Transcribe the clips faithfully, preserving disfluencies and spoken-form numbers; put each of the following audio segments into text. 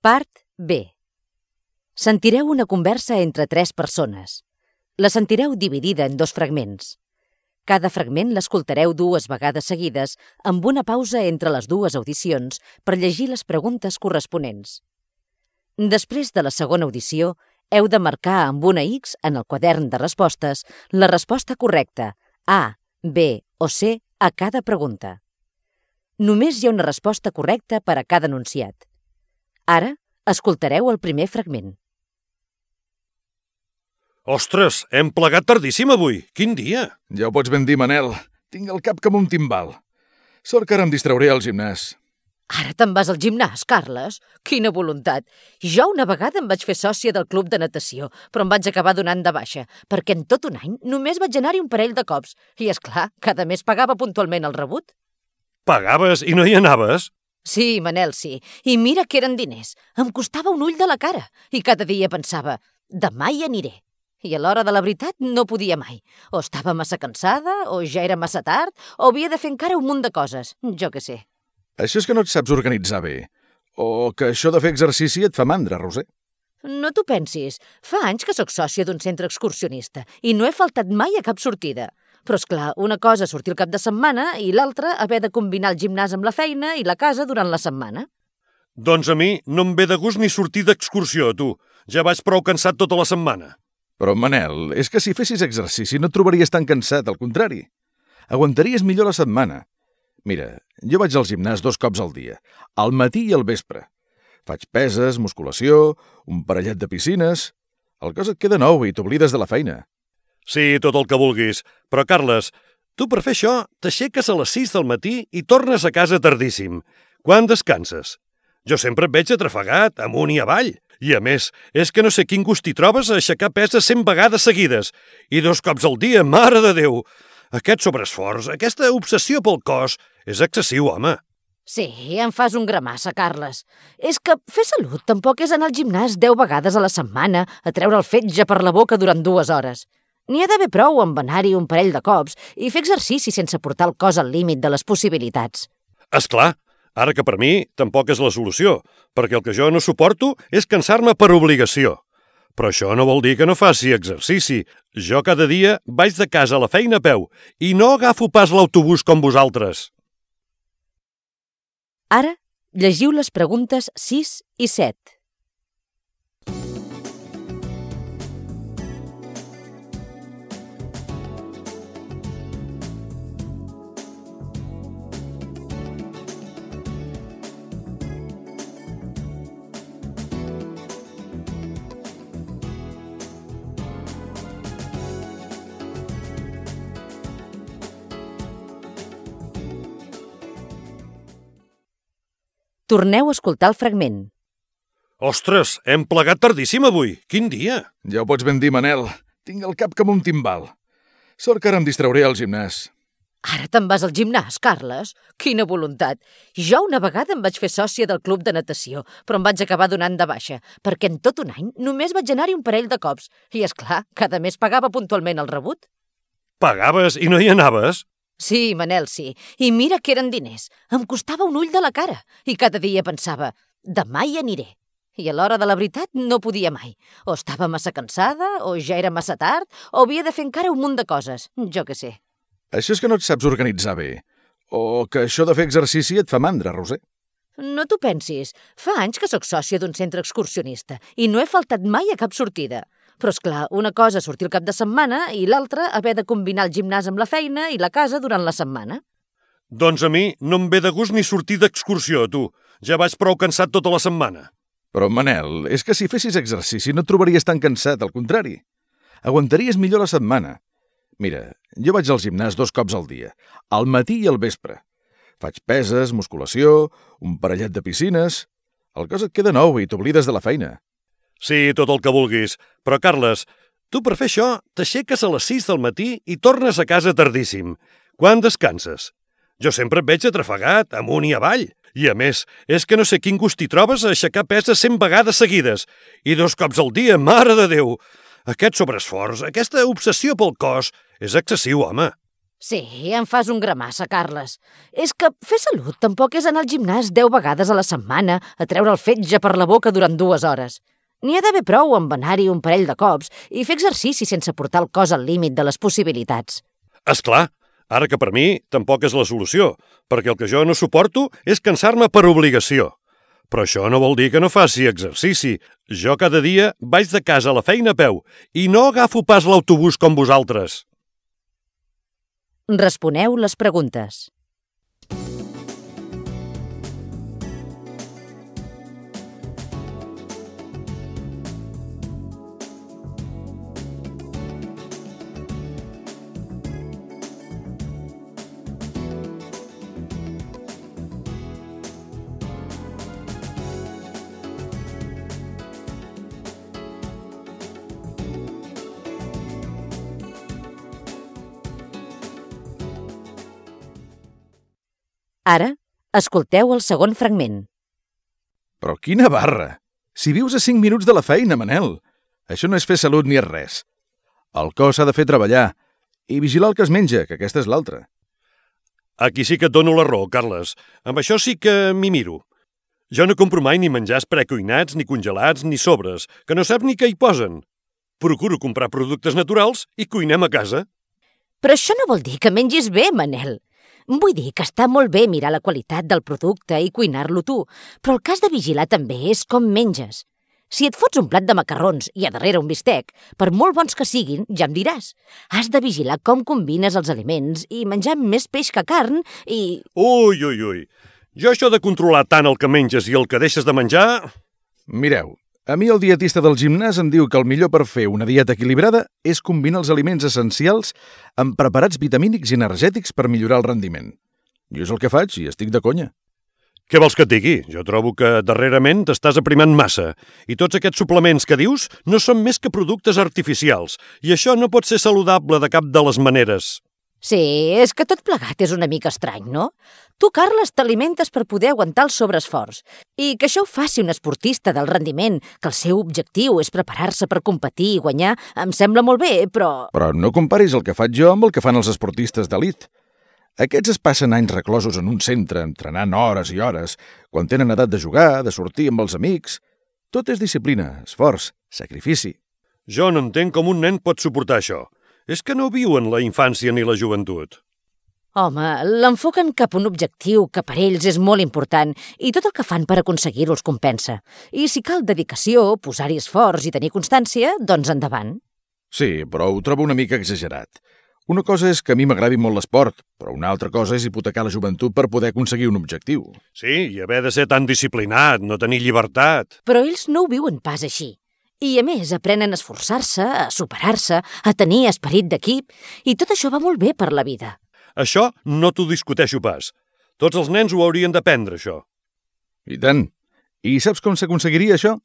Part B. Sentireu una conversa entre tres persones. La sentireu dividida en dos fragments. Cada fragment l'escoltareu dues vegades seguides amb una pausa entre les dues audicions per llegir les preguntes corresponents. Després de la segona audició, heu de marcar amb una X en el quadern de respostes la resposta correcta, A, B o C, a cada pregunta. Només hi ha una resposta correcta per a cada enunciat. Ara, escoltareu el primer fragment. Ostres, hem plegat tardíssim avui. Quin dia? Ja ho pots ben dir, Manel. Tinc el cap com un timbal. Sort que ara em distrauré al gimnàs. Ara te'n vas al gimnàs, Carles? Quina voluntat! Jo una vegada em vaig fer sòcia del club de natació, però em vaig acabar donant de baixa, perquè en tot un any només vaig anar-hi un parell de cops. I, és clar, cada mes pagava puntualment el rebut. Pagaves i no hi anaves? Sí, Manel, sí. I mira que eren diners. Em costava un ull de la cara. I cada dia pensava, demà hi aniré. I a l'hora de la veritat no podia mai. O estava massa cansada, o ja era massa tard, o havia de fer encara un munt de coses. Jo què sé. Això és que no et saps organitzar bé. O que això de fer exercici et fa mandra, Roser. No t'ho pensis. Fa anys que sóc sòcia d'un centre excursionista i no he faltat mai a cap sortida. Però, és clar, una cosa sortir el cap de setmana i l'altra haver de combinar el gimnàs amb la feina i la casa durant la setmana. Doncs a mi no em ve de gust ni sortir d'excursió, tu. Ja vaig prou cansat tota la setmana. Però, Manel, és que si fessis exercici no et trobaries tan cansat, al contrari. Aguantaries millor la setmana. Mira, jo vaig al gimnàs dos cops al dia, al matí i al vespre. Faig peses, musculació, un parellet de piscines... El cos et queda nou i t'oblides de la feina. Sí, tot el que vulguis. Però, Carles, tu per fer això t'aixeques a les sis del matí i tornes a casa tardíssim. Quan descanses? Jo sempre et veig atrafegat, amunt i avall. I, a més, és que no sé quin gust hi trobes a aixecar peses cent vegades seguides. I dos cops al dia, mare de Déu! Aquest sobreesforç, aquesta obsessió pel cos, és excessiu, home. Sí, em fas un gramassa, Carles. És que fer salut tampoc és anar al gimnàs deu vegades a la setmana a treure el fetge per la boca durant dues hores. N'hi ha d'haver prou amb anar-hi un parell de cops i fer exercici sense portar el cos al límit de les possibilitats. És clar, ara que per mi tampoc és la solució, perquè el que jo no suporto és cansar-me per obligació. Però això no vol dir que no faci exercici. Jo cada dia vaig de casa a la feina a peu i no agafo pas l'autobús com vosaltres. Ara, llegiu les preguntes sis i set. Torneu a escoltar el fragment. Ostres, hem plegat tardíssim avui. Quin dia? Ja ho pots ben dir, Manel. Tinc el cap com un timbal. Sort que ara em distrauré al gimnàs. Ara te'n vas al gimnàs, Carles? Quina voluntat! Jo una vegada em vaig fer sòcia del club de natació, però em vaig acabar donant de baixa, perquè en tot un any només vaig anar-hi un parell de cops. I, és clar, cada mes pagava puntualment el rebut. Pagaves i no hi anaves? Sí, Manel, sí. I mira que eren diners. Em costava un ull de la cara. I cada dia pensava, demà hi aniré. I a l'hora de la veritat no podia mai. O estava massa cansada, o ja era massa tard, o havia de fer encara un munt de coses. Jo què sé. Això és que no et saps organitzar bé. O que això de fer exercici et fa mandra, Roser. No t'ho pensis. Fa anys que sóc sòcia d'un centre excursionista i no he faltat mai a cap sortida. Però, és clar, una cosa sortir el cap de setmana i l'altra haver de combinar el gimnàs amb la feina i la casa durant la setmana. Doncs a mi no em ve de gust ni sortir d'excursió, tu. Ja vaig prou cansat tota la setmana. Però, Manel, és que si fessis exercici no et trobaries tan cansat, al contrari. Aguantaries millor la setmana. Mira, jo vaig al gimnàs dos cops al dia, al matí i al vespre. Faig peses, musculació, un parellet de piscines... El cos et queda nou i t'oblides de la feina. Sí, tot el que vulguis. Però, Carles, tu per fer això t'aixeques a les sis del matí i tornes a casa tardíssim. Quan descanses? Jo sempre et veig atrafegat, amunt i avall. I, a més, és que no sé quin gust hi trobes a aixecar peses cent vegades seguides. I dos cops al dia, mare de Déu! Aquest sobreesforç, aquesta obsessió pel cos, és excessiu, home. Sí, em fas un gramassa, Carles. És que fer salut tampoc és anar al gimnàs deu vegades a la setmana a treure el fetge per la boca durant dues hores. N'hi ha d'haver prou amb anar-hi un parell de cops i fer exercici sense portar el cos al límit de les possibilitats. És clar, ara que per mi tampoc és la solució, perquè el que jo no suporto és cansar-me per obligació. Però això no vol dir que no faci exercici. Jo cada dia vaig de casa a la feina a peu i no agafo pas l'autobús com vosaltres. Responeu les preguntes. Ara, escolteu el segon fragment. Però quina barra! Si vius a cinc minuts de la feina, Manel! Això no és fer salut ni és res. El cos s'ha de fer treballar i vigilar el que es menja, que aquesta és l'altra. Aquí sí que et dono la raó, Carles. Amb això sí que m'hi miro. Jo no compro mai ni menjars precuinats, ni congelats, ni sobres, que no sap ni què hi posen. Procuro comprar productes naturals i cuinem a casa. Però això no vol dir que mengis bé, Manel. Vull dir que està molt bé mirar la qualitat del producte i cuinar-lo tu, però el que has de vigilar també és com menges. Si et fots un plat de macarrons i a darrere un bistec, per molt bons que siguin, ja em diràs. Has de vigilar com combines els aliments i menjar més peix que carn i... Ui, ui, ui. Jo això de controlar tant el que menges i el que deixes de menjar... Mireu, a mi el dietista del gimnàs em diu que el millor per fer una dieta equilibrada és combinar els aliments essencials amb preparats vitamínics i energètics per millorar el rendiment. Jo és el que faig i estic de conya. Què vols que et digui? Jo trobo que darrerament t'estàs aprimant massa i tots aquests suplements que dius no són més que productes artificials i això no pot ser saludable de cap de les maneres. Sí, és que tot plegat és una mica estrany, no? Tu, Carles, t'alimentes per poder aguantar el sobreesforç. I que això ho faci un esportista del rendiment, que el seu objectiu és preparar-se per competir i guanyar, em sembla molt bé, però... Però no comparis el que faig jo amb el que fan els esportistes d'elit. Aquests es passen anys reclosos en un centre, entrenant hores i hores, quan tenen edat de jugar, de sortir amb els amics. Tot és disciplina, esforç, sacrifici. Jo no entenc com un nen pot suportar això. És que no viuen la infància ni la joventut. Home, l'enfoquen cap a un objectiu que per ells és molt important i tot el que fan per aconseguir-ho els compensa. I si cal dedicació, posar-hi esforç i tenir constància, doncs endavant. Sí, però ho trobo una mica exagerat. Una cosa és que a mi m'agradi molt l'esport, però una altra cosa és hipotecar la joventut per poder aconseguir un objectiu. Sí, i haver de ser tan disciplinat, no tenir llibertat. Però ells no ho viuen pas així. I, a més, aprenen a esforçar-se, a superar-se, a tenir esperit d'equip, i tot això va molt bé per la vida. Això no t'ho discuteixo pas. Tots els nens ho haurien d'aprendre, això. I tant. I saps com s'aconseguiria això?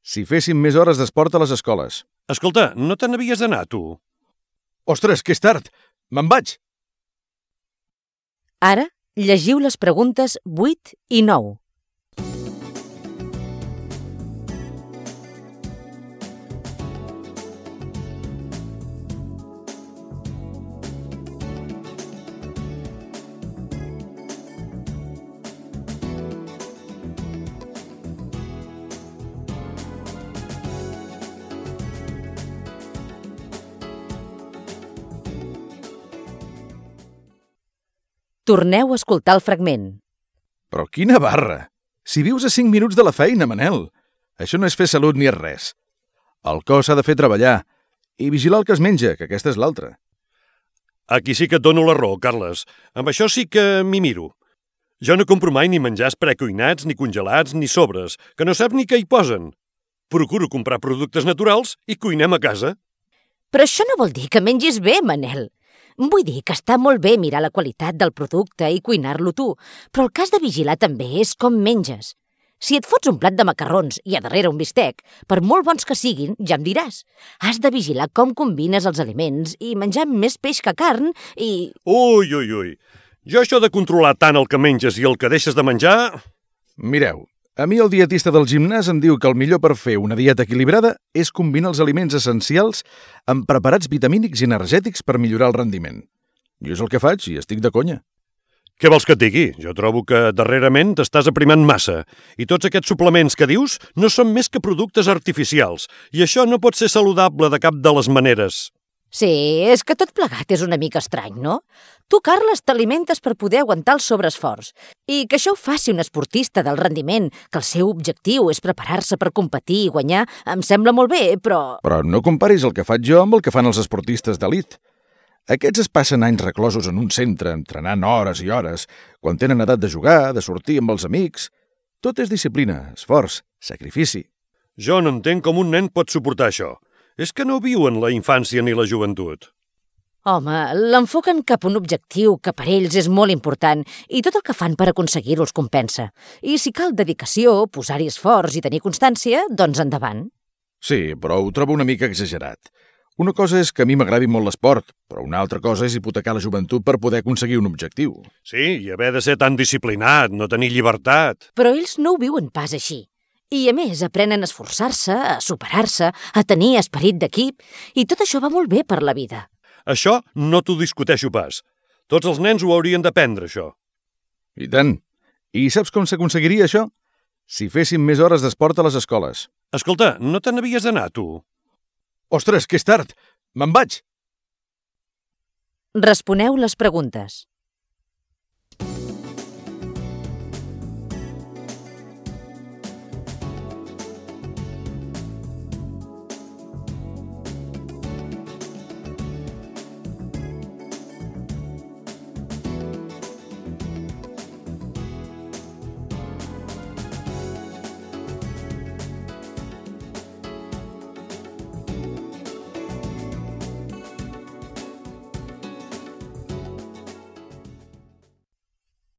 Si féssim més hores d'esport a les escoles. Escolta, no te n'havies d'anar, tu? Ostres, que és tard! Me'n vaig! Ara, llegiu les preguntes vuit i nou. Torneu a escoltar el fragment. Però quina barra! Si vius a cinc minuts de la feina, Manel! Això no és fer salut ni és res. El cos s'ha de fer treballar i vigilar el que es menja, que aquesta és l'altra. Aquí sí que et dono la raó, Carles. Amb això sí que m'hi miro. Jo no compro mai ni menjars precuinats, ni congelats, ni sobres, que no sap ni què hi posen. Procuro comprar productes naturals i cuinem a casa. Però això no vol dir que mengis bé, Manel. Vull dir que està molt bé mirar la qualitat del producte i cuinar-lo tu, però el que has de vigilar també és com menges. Si et fots un plat de macarrons i a darrere un bistec, per molt bons que siguin, ja em diràs. Has de vigilar com combines els aliments i menjar més peix que carn i... Ui, ui, ui. Jo això de controlar tant el que menges i el que deixes de menjar... Mireu, a mi el dietista del gimnàs em diu que el millor per fer una dieta equilibrada és combinar els aliments essencials amb preparats vitamínics i energètics per millorar el rendiment. Jo és el que faig i estic de conya. Què vols que et digui? Jo trobo que darrerament t'estàs aprimant massa i tots aquests suplements que dius no són més que productes artificials i això no pot ser saludable de cap de les maneres. Sí, és que tot plegat és una mica estrany, no? Tu, Carles, t'alimentes per poder aguantar el sobreesforç i que això ho faci un esportista del rendiment, que el seu objectiu és preparar-se per competir i guanyar, em sembla molt bé, però... Però no comparis el que faig jo amb el que fan els esportistes d'elit. Aquests es passen anys reclosos en un centre, entrenant hores i hores, quan tenen edat de jugar, de sortir amb els amics. Tot és disciplina, esforç, sacrifici. Jo no entenc com un nen pot suportar això. És que no viuen la infància ni la joventut. Home, l'enfoquen cap a un objectiu que per ells és molt important i tot el que fan per aconseguir-ho els compensa. I si cal dedicació, posar-hi esforç i tenir constància, doncs endavant. Sí, però ho trobo una mica exagerat. Una cosa és que a mi m'agradi molt l'esport, però una altra cosa és hipotecar la joventut per poder aconseguir un objectiu. Sí, i haver de ser tan disciplinat, no tenir llibertat. Però ells no ho viuen pas així. I, a més, aprenen a esforçar-se, a superar-se, a tenir esperit d'equip, i tot això va molt bé per la vida. Això no t'ho discuteixo pas. Tots els nens ho haurien d'aprendre, això. I tant. I saps com s'aconseguiria això? Si féssim més hores d'esport a les escoles. Escolta, no te n'havies d'anar, tu? Ostres, que és tard! Me'n vaig! Responeu les preguntes.